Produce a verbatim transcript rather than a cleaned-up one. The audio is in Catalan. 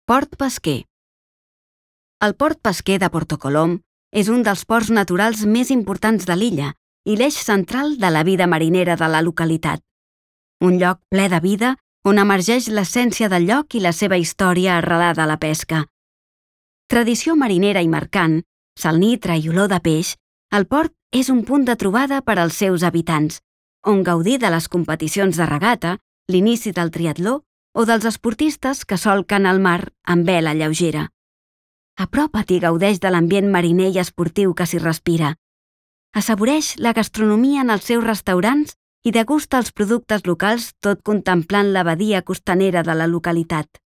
Port pesquer. El port pesquer de Porto Colom és un dels ports naturals més importants de l'illa i l'eix central de la vida marinera de la localitat. Un lloc ple de vida on emergeix l'essència del lloc i la seva història arrelada a la pesca. Tradició marinera i mercant, salnitra i olor de peix, el port és un punt de trobada per als seus habitants, on gaudir de les competicions de regata, l'inici del triatló o dels esportistes que solquen el mar amb vela lleugera. Apropa't i gaudeix de l'ambient mariner i esportiu que s'hi respira. Assaboreix la gastronomia en els seus restaurants i degusta els productes locals tot contemplant la badia costanera de la localitat.